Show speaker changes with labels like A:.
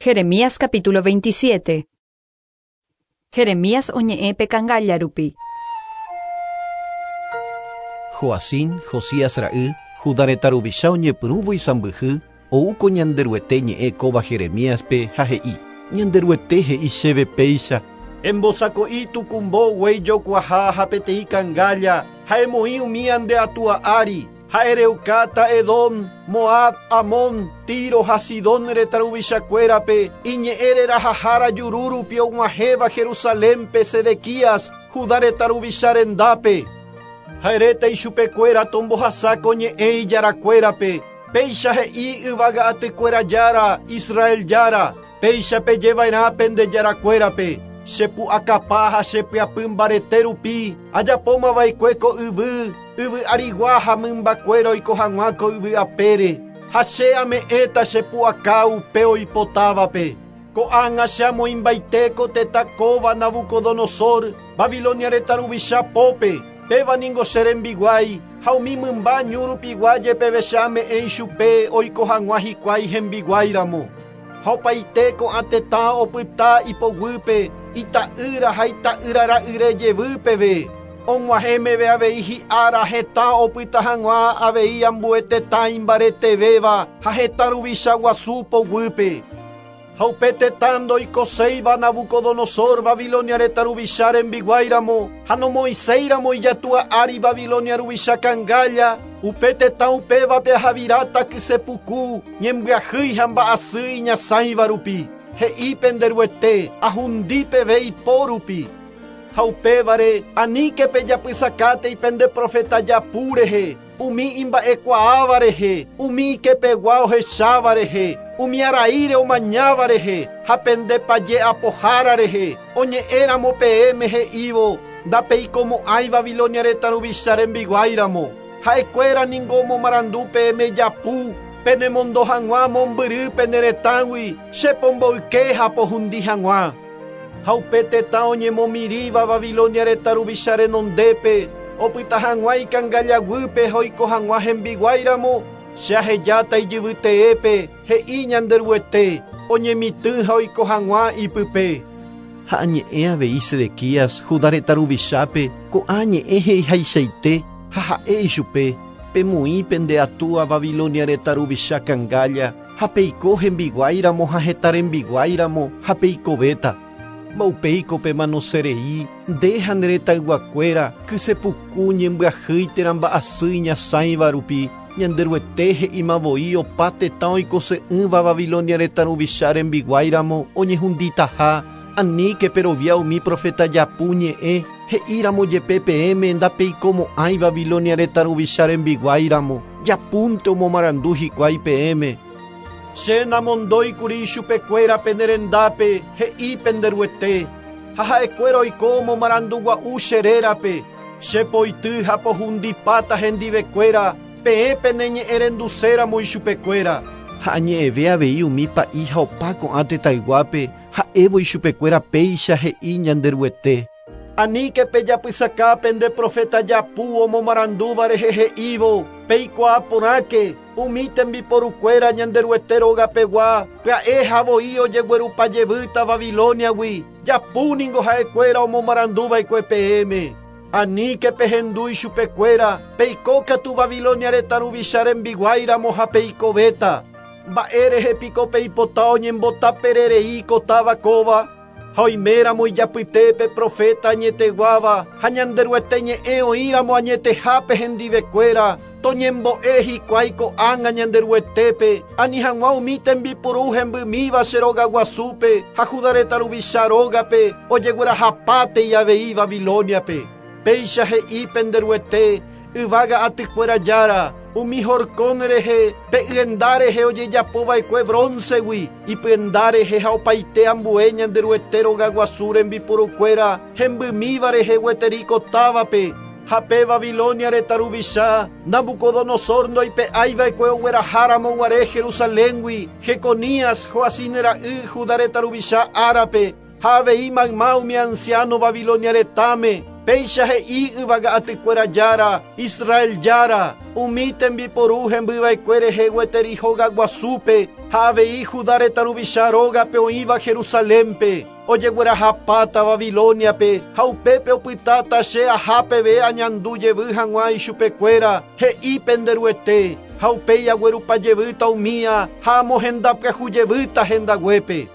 A: Jeremías capítulo 27. Jeremías oñe'ẽ pe cangálla rupi.
B: Joacim, Josías ra'y, Judá retã ruvicha oñepyrũvo isãmbyhy, ou ko Ñanderuete ñe'ẽ kóva Jeremíaspe ha he'i, Ñanderuete he'i chéve péicha, Embosako'i tukumbo guéi jokuaha ha peteĩ cangálla, ha emoĩ umía nde atúa ári, Ha ereukáta Edom, Moab, Amón, Tiro ha Sidón retã ruvichakuérape, iñe'ẽ rerahahára juru rupi og̃uahẽva Jerusalénpe Sedequías, Judá retã ruvicha rendápe. Ha eréta ichupekuéra tombohasa ko ñe'ẽ ijarakuérape, Péicha he'i yvága atykuéra Jára, Israel Jára, Péicha peje va'erã pende jarakuérape, Che pu'akapa ha che pyapy mbarete rupi ajapóma va'ekue ko yvy, yvy arigua ha mymbakuéra oiko hag̃ua ko yvy apére, ha che ame'ẽta che pu'aka upe oipotávape. Ko'ág̃a che amoĩmbaite ko tetã kóva Nabucodonosor, Babilonia retã ruvicha pópe, péva ningo che rembiguái, ha umi mymba ñu rupigua jepeve che ame'ẽ ichupe oiko hag̃ua hikuái hembiguái ramo. Ha opaite ko'ã tetã opyta ipoguýpe ita'ýra ha ita'ýra ra'yre jevy peve, og̃uahẽ meve avei hi'ára hetã opyta hag̃ua avei ambue tetã imbaretevéva ha hetã ruvicha guasu poguýpe. Ha upe tetã ndoikoséiva Nabucodonosor Babilonia retã ruvicha rembiguái ramo ha nomoĩséi ramo ijatúa ári Babilonia ruvicha cangálla, upe tetã upévape ahaviráta kyse puku, ñembyahýi ha mba'asy iñasãiva rupi, he'i pende Ruete, ahundi peve ipo rupi. Ha upévare, aníke pejapysakátei pende proféta japu rehe, umi imba'ekuaáva rehe, umi ikepegua ohecháva rehe, umi araíre omañáva rehe ha pende paje apohára rehe, oñe'ẽramo peẽme he'ívo, Ndapeikomo'ãi Babilonia retã ruvicha rembiguáiramo. Ha'ekuéra ningo omomarandu peẽme japu, penemondo hag̃ua mombyry pene retãgui, che pomboyke ha pohundi hag̃ua. Ha upe tetã oñemomirĩva Babilonia retã ruvicha renondépe, opyta hag̃ua ikangálla guýpe ha oiko hag̃ua hembiguái ramo, che ahejáta ijyvy teépe, he'i Ñanderuete, oñemitỹ ha oiko hag̃ua ipype. Ha añe'ẽ avei Sedequías, Judá retã ruvichápe, ko'ã ñe'ẽ he'ihaichaite, ha ha'e ichupe, Pemoĩ pende atúa Babilonia retã ruvicha kangálla, Ha peiko hembiguái ramo ha hetã rembiguái ramo, ha peikovéta. Mba'upéiko pemanose rei, nde ha ne retãyguakuéra, kyse puku, ñembyahýi térã mba'asy iñasãiva rupi, Ñanderuete he'íma voi opa tetã oikose'ỹva Babilonia retã ruvicha rembiguái ramo oñehunditaha, aníke perovia umi proféta japu ñe'ẽ, he'i ramo jepe peẽme ndapeikomo'ãi Babilonia retã ruvicha rembiguái ramo. Japúnte omomarandu hikuái peẽme. Che namondói kuri ichupekuéra pene rendápe, he'i pende Ruete, ha ha'ekuéra oiko omomarandu gua'u che rérape, che poity ha pohundipáta hendivekuéra, peẽ pene ñe'ẽrenduséramo ichupekuéra. Ha añe'ẽve avei umi pa'i ha opa ko'ã tetãyguápe, ha'évo ichupekuéra péicha he'i Ñanderuete. Aníke pejapysaka pende proféta japu omomarandúva rehe he'ívo, Peikuaa porãke, umi tembiporukuéra Ñanderuete róga pegua pya'e ha voi ojeguerupa jevýta Babilóniagui, japu ningo ha'ekuéra omomaranduva'ekue peẽme. Aníke pehendu ichupekuéra, peiko katu Babilonia retã ruvicha rembiguái ramo ha peikovéta. Mba'érehe piko peipota oñembotapererei ko táva kóva? Ha oiméramo ijapytépe proféta añeteguáva ha Ñanderuete ñe'ẽ oĩramo añetehápe hendivekuéra, toñembo'e hikuái ko'ág̃a Ñanderuetépe, ani hag̃ua umi tembipuru hembymíva che rogaguasúpe ha Juda retã ruvicha rógape ojeguerahapátei avei Babilóniape. Péicha he'i pende Ruete, yvága atykuéra Jára, umi horkon rehe, pe yenda rehe ojejapo va'ekue brónsegui, ipyenda rehe ha opaite ambue Ñanderuete rogaguasu rembiporukuéra hembymíva rehe gueteri ko távape, ha pe Babilonia retã ruvicha Nabucodonosor ndoipe'ái va'ekue ogueraha ramo guare Jerusaléngui Jeconías, Joacim ra'y, Judá retã ruvicha árape, ha avei mayma umi ansiáno Babilonia retãme. Péicha he'i Yvaga Atykuéra Jára, Israel Jára, umi tembiporu hembyva'ekue rehe gueteri hogaguasúpe ha avei Judá retã ruvicha rógape oĩva Jerusalénpe, ojeguerahapáta Babilóniape ha upépe opytáta che aha peve añandu jevy hag̃ua ichupekuéra, he'i pende Ruete, ha upéi aguerupa jevýta umía ha amohenda pyahu jevýta hendaguépe.